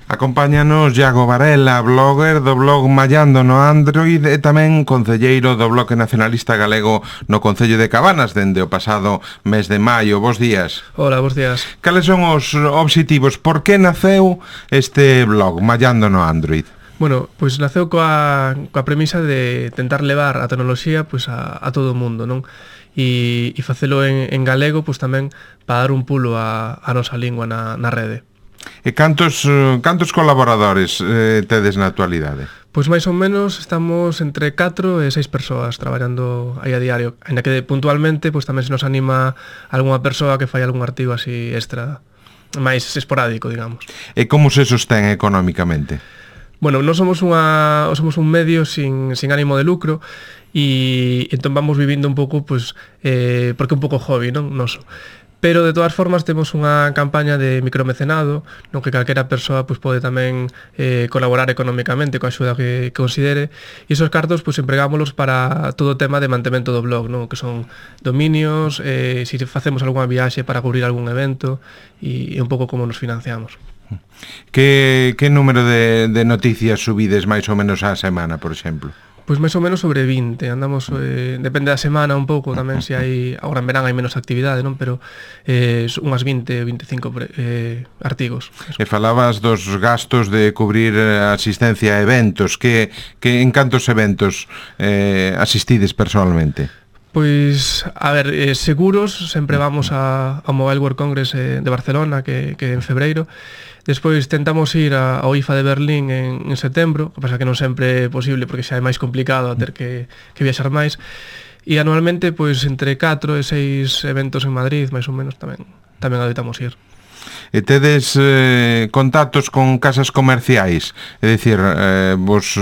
Acompáñanos Iago Varela, blogger do blog Mallando no Android e tamén concelleiro do Bloque Nacionalista Galego no Concello de Cabanas dende o pasado mes de maio. Bos días. Hola, bos días. Cales son os obxectivos? Por que naceu este blog Mallando no Android? Bueno, pois naceu coa premisa de tentar levar a tecnoloxía pois a todo o mundo, non? E facelo en galego pois tamén para dar un pulo a nosa lingua na rede. E cantos colaboradores tedes na actualidade? Pois máis ou menos estamos entre 4 e 6 persoas traballando aí a diario, ainda que puntualmente pois tamén se nos anima algunha persoa que fai algún artigo así extra, máis esporádico, digamos. E como se sostén económicamente? Bueno, non somos un medio sin ánimo de lucro e entón vamos vivindo un pouco pois porque é un pouco hobby, non? Noso. Pero de todas formas temos unha campaña de micromecenado no que calquera persoa pois pode tamén colaborar económicamente coa axuda que considere e esos cartos pois empregámolos para todo o tema de mantemento do blog, non? Que son dominios, se facemos algunha viaxe para cubrir algún evento e un pouco como nos financiamos. Que número de noticias subides máis ou menos á semana, por exemplo? Pois máis ou menos sobre 20, andamos, depende da semana un pouco, tamén se hai, agora en verán hai menos actividade, non? Pero unhas 20, 25 artigos. E falabas dos gastos de cubrir asistencia a eventos, que en cantos eventos asistides personalmente? Pois, a ver, seguros, sempre vamos ao Mobile World Congress de Barcelona, que en febreiro. Despois tentamos ir ao IFA de Berlín en setembro, que pasa que non sempre é posible porque xa é máis complicado a ter que viaxar máis. E anualmente, pois, entre 4 e 6 eventos en Madrid, máis ou menos, tamén adoitamos ir. E tedes contactos con casas comerciais? É dicir, vos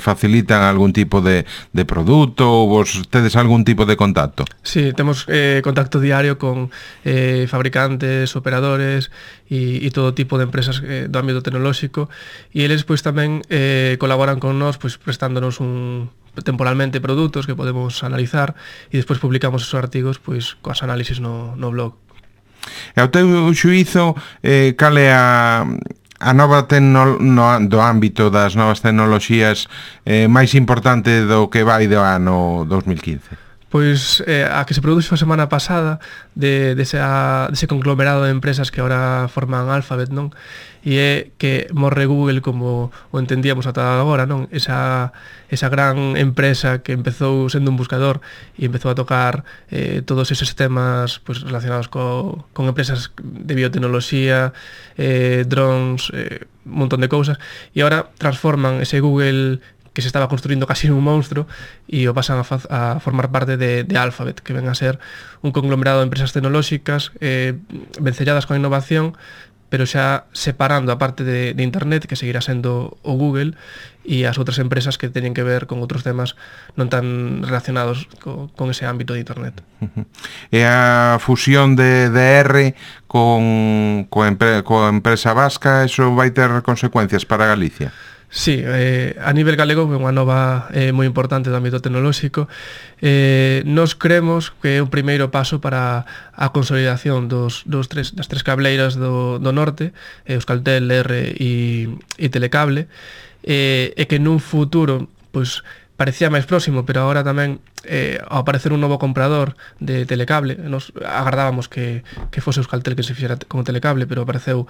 facilitan algún tipo de produto ou vos tedes algún tipo de contacto? Sí, temos contacto diario con fabricantes, operadores e todo tipo de empresas do ámbito tecnolóxico e eles pois tamén colaboran con nós pois prestándonos temporalmente produtos que podemos analizar e despois publicamos esos artigos pois coas análisis no blog. E ao teu xuízo, cal é a nova do ámbito das novas tecnoloxías máis importante do que vai do ano 2015? Pois a que se produxo a semana pasada dese conglomerado de empresas que agora forman Alphabet, non? E é que morre Google como o entendíamos ata agora, non? Esa gran empresa que empezou sendo un buscador e empezou a tocar todos eses temas pois, relacionados con empresas de biotecnoloxía, drones, un montón de cousas, e agora transforman ese Google que se estaba construindo casi un monstruo e o pasan a formar parte de Alphabet, que ven a ser un conglomerado de empresas tecnolóxicas vencelladas con a innovación, pero xa separando a parte de Internet, que seguirá sendo o Google, e as outras empresas que teñen que ver con outros temas non tan relacionados con ese ámbito de Internet. E a fusión de DR coa empresa vasca, eso vai ter consecuencias para Galicia? Sí, a nivel galego é unha nova moi importante do ámbito tecnolóxico. Nos creemos que é un primeiro paso para a consolidación das tres cableiras do norte, Euskaltel, R e Telecable, e que nun futuro pois parecía máis próximo, pero agora tamén ao aparecer un novo comprador de Telecable, nos agardábamos que fose Euskaltel que se fixera con Telecable, pero apareceu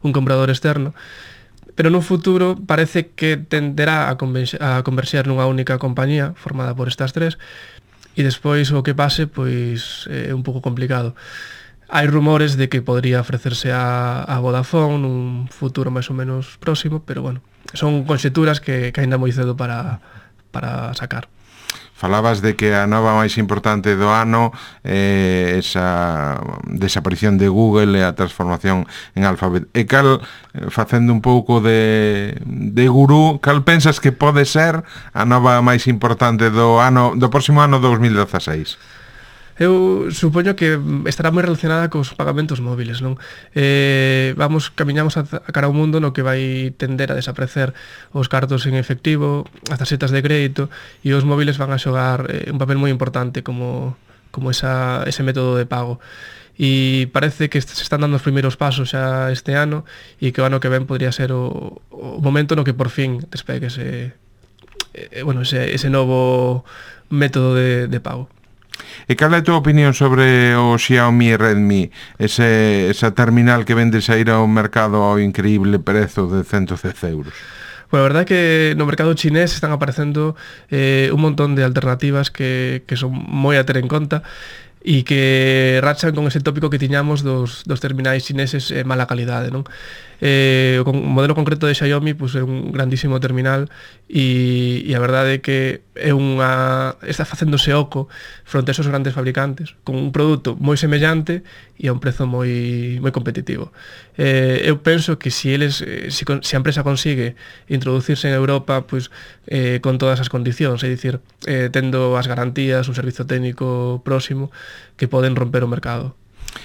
un comprador externo. Pero nun futuro parece que tenderá a converxer nunha única compañía formada por estas tres e despois o que pase pois é un pouco complicado. Hai rumores de que podría ofrecerse a Vodafone nun futuro máis ou menos próximo, pero bueno, son conxeturas que aínda moi cedo para sacar. Falabas de que a nova máis importante do ano é esa desaparición de Google e a transformación en Alphabet. E cal, facendo un pouco de gurú, cal pensas que pode ser a nova máis importante do próximo ano 2016? Eu supoño que estará moi relacionada cos pagamentos móviles, non? Camiñamos a cara a un mundo no que vai tender a desaparecer os cartos en efectivo, as tarxetas de crédito, e os móviles van a xogar un papel moi importante como ese método de pago. e parece que se están dando os primeiros pasos xa este ano e que o ano que ven podría ser o momento no que por fin despegue ese novo método de pago. E cal é a tua opinión sobre o Xiaomi Redmi, esa terminal que vende sair ao mercado ao increíble prezo de 110 euros? Bueno, a verdade é que no mercado chinés están aparecendo un montón de alternativas que son moi a ter en conta e que rachan con ese tópico que tiñamos dos terminais chineses mala calidade, non? O modelo concreto de Xiaomi pues, é un grandísimo terminal e a verdade é que está facéndose oco fronte a esos grandes fabricantes con un produto moi semellante e a un prezo moi competitivo. Eu penso que se a empresa consigue introducirse en Europa pues, con todas as condicións, é dicir, tendo as garantías, un servizo técnico próximo, que poden romper o mercado.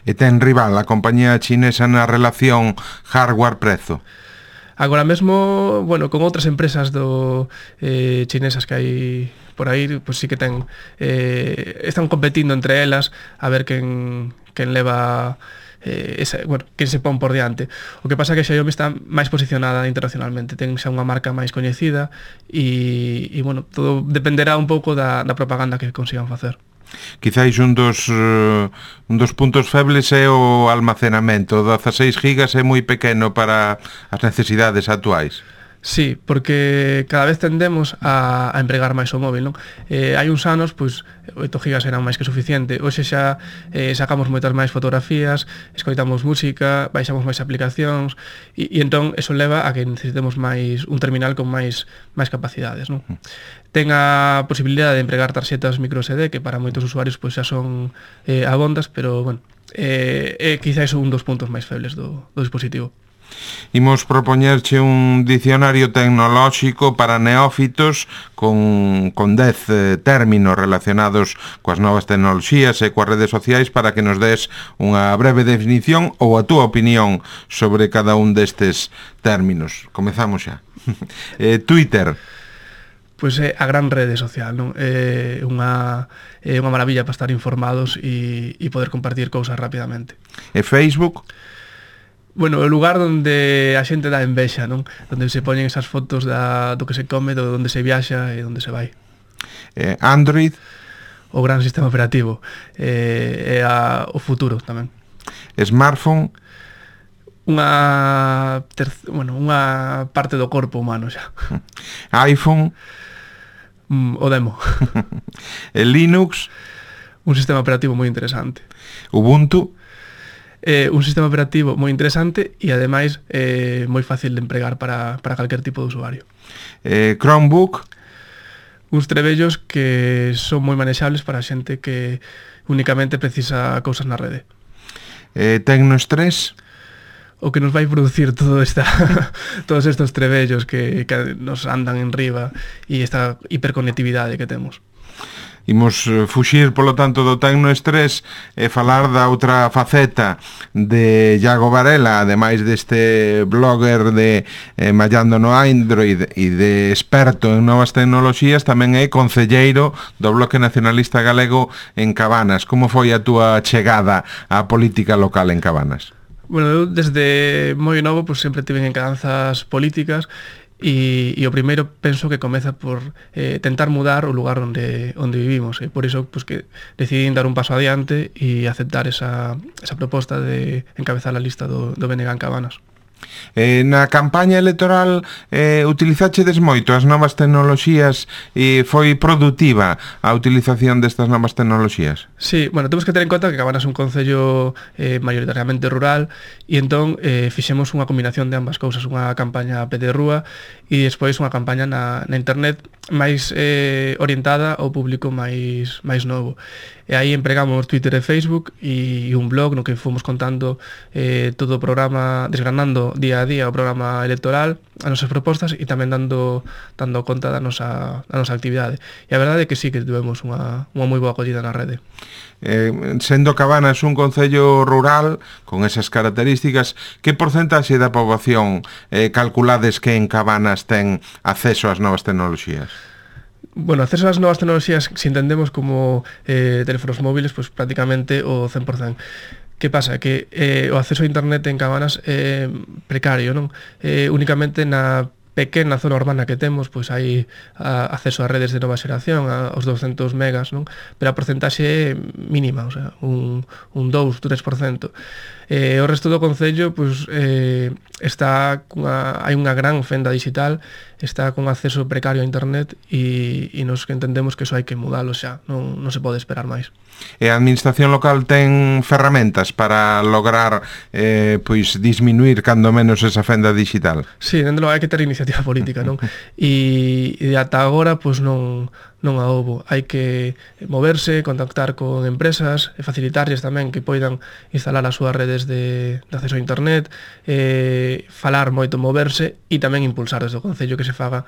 E ten rival a compañía chinesa na relación hardware-prezo? Agora mesmo, bueno, con outras empresas chinesas que hai por aí, pues sí que están competindo entre elas a ver quen leva quen se pon por diante. O que pasa é que Xiaomi está máis posicionada internacionalmente, ten xa unha marca máis coñecida e bueno, todo dependerá un pouco da propaganda que consigan facer. Quizáis un dos puntos febles é o almacenamento. 16 gigas é moi pequeno para as necesidades actuais. Sí, porque cada vez tendemos a empregar máis o móvil, non? Hai uns anos, pois, 8 gigas eran máis que suficiente. Hoxe xa sacamos moitas máis fotografías, escoitamos música, baixamos máis aplicacións e entón eso leva a que necesitemos un terminal con máis capacidades, non? Ten a posibilidade de empregar tarxetas micro SD, que para moitos usuarios pois, xa son abondas, pero, bueno, quizás un dos puntos máis febles do dispositivo. Imos propoñerche un dicionario tecnolóxico para neófitos con 10 términos relacionados coas novas tecnoloxías e coas redes sociais para que nos des unha breve definición ou a túa opinión sobre cada un destes términos. Comezamos xa. Twitter. Pois é a gran rede social, non? É unha maravilla para estar informados e poder compartir cousas rapidamente. E Facebook? Bueno, o lugar onde a xente dá envexa, non? Onde se poñen esas fotos do que se come, do onde se viaxa e onde se vai. Android? O gran sistema operativo. O futuro tamén. Smartphone? Unha parte do corpo humano xa. iPhone? O demo. Linux? Un sistema operativo moi interesante. Ubuntu? Un sistema operativo moi interesante e ademais moi fácil de empregar para calquer tipo de usuario. Chromebook? Uns trebellos que son moi manexables para a xente que únicamente precisa cousas na rede. Tecnoestrés? O que nos vai producir todos estes trebellos que nos andan en riba e esta hiperconectividade que temos. Imos fuxir, polo tanto, do tecnoestrés e falar da outra faceta de Iago Varela, ademais deste blogger de Mallando no Android e de experto en novas tecnoloxías, tamén é concelleiro do Bloque Nacionalista Galego en Cabanas. Como foi a túa chegada á política local en Cabanas? Bueno, eu desde moi novo pues, sempre tive encadanzas políticas e o primeiro penso que comeza por tentar mudar o lugar onde vivimos e por iso pues, que decidí dar un paso adiante e aceptar esa proposta de encabezar a lista do BNG en Cabanas. Na campaña electoral utilizachedes moito as novas tecnoloxías e foi produtiva a utilización destas novas tecnoloxías? Sí, bueno, temos que ter en conta que Cabanas é un concello maioritariamente rural e entón fixemos unha combinación de ambas cousas, unha campaña a pé de rúa e despois unha campaña na internet máis orientada ao público máis novo. E aí empregamos Twitter e Facebook e un blog no que fomos contando todo o programa, desgranando día a día o programa electoral, as nosas propostas e tamén dando conta da nosa actividade. E a verdade é que sí que tivemos unha moi boa acollida na rede. Sendo Cabanas un concello rural con esas características, que porcentaxe da poboación calculades que en Cabanas ten acceso ás novas tecnoloxías? Bueno, acceso ás novas tecnoloxías, se entendemos como teléfonos móviles, pues prácticamente o 100%. Que pasa? Que o acceso a internet en Cabanas é precario, non? Únicamente na pequena zona urbana que temos, pois hai acceso a redes de nova xeración, aos 200 megas, non? Pero a porcentaxe é mínima, o sea, un 2-3%. O resto do concello, pois, hai unha gran fenda digital, está con acceso precario a internet e nos que entendemos que eso hai que mudalo xa, non se pode esperar máis. E a administración local ten ferramentas para lograr pois disminuir cando menos esa fenda digital? Sí, dende logo hai que ter iniciativa política, non? E ata agora pois non a houbo. Hai que moverse, contactar con empresas, e facilitarlles tamén que poidan instalar as súas redes de acceso a internet, falar moito, moverse e tamén impulsar desde o Concello que se faga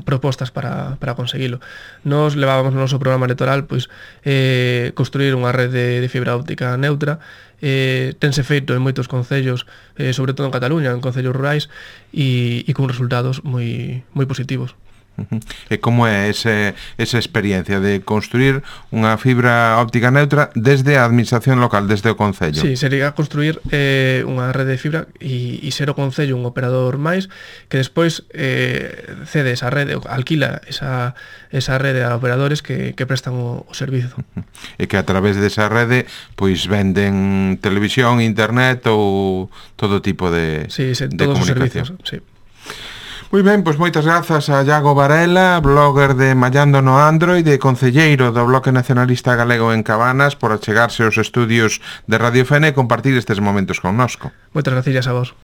propostas para conseguilo. Nos levábamos no noso programa electoral pois construir unha rede de fibra óptica neutra. Tense feito en moitos concellos, sobre todo en Cataluña, en concellos rurais, e con resultados moi positivos. E como é esa experiencia de construir unha fibra óptica neutra desde a administración local, desde o Concello? Sí, sería construir unha rede de fibra e ser o Concello un operador máis que despois cede esa rede, alquila esa rede a operadores que prestan o servizo. E que a través desa rede pois venden televisión, internet ou todo tipo de todos os servizos, sí. Moi ben, pois moitas grazas a Iago Varela, blogger de Mallando no Android e concelleiro do Bloque Nacionalista Galego en Cabanas, por achegarse aos estudios de Radio Fene e compartir estes momentos connosco. Moitas gracias a vos.